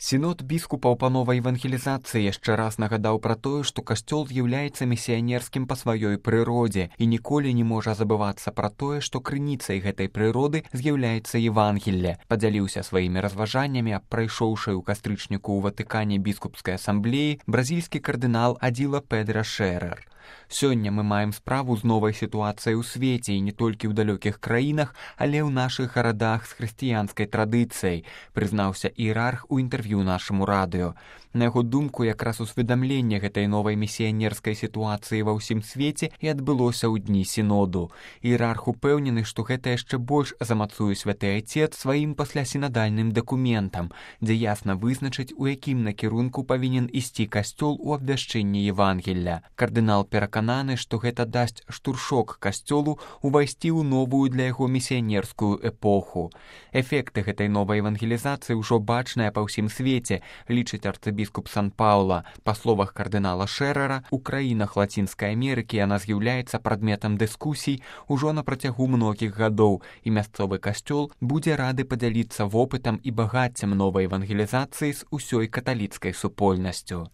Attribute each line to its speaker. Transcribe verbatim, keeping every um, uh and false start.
Speaker 1: Сінод біскупаў па новай евангелізацыі яшчэ раз нагадаў пра тое, што касцёл з'яўляецца місіянерскім па сваёй прыродзе і ніколі не можа забывацца пра тое, што крыніцай гэтай прыроды з'яўляецца Евангелле. Падзяліўся сваімі разважаннямі аб прайшоўшай у кастрычніку ў Ватыкане біскупскай асамблеі бразільскі кардынал Адзіла Педра Шэрэр. Сёння мы маем справу з новай сітуацыяй у свеце і не толькі ў далёкіх краінах, але ў нашых гарадах з хрысціянскай традыцыяй, прызнаўся іерарх у інтэрв'ю нашаму радыё. На яго думку, якраз усведамленне гэтай новай місіянерскай сітуацыі ва ўсім свеце і адбылося ў дні сіноду. Іерарх упэўнены, што гэта яшчэ больш замацуе святы Айцец сваім паслясінадальным дакументам, дзе ясна вызначыць, у якім накірунку павінен ісці касцёл у абвяшчэнні Евангелля. Кардынал перакананы, што гэта дасць штуршок касцёлу увайсці ў новую для яго місіянерскую эпоху. Эфекты гэтай новай евангелізацыі ўжо бачныя па ўсім свеце, лічыць арцыбіскуп Сан-Паўла. Па словах кардынала Шэрера, у краінах Лацінскай Амерыкі яна з'яўляецца прадметам дыскусій ужо на працягу многіх гадоў, і мясцовы касцёл будзе рады падзяліцца вопытам і багаццем новай евангелізацыі з усёй каталіцкай супольнасцю.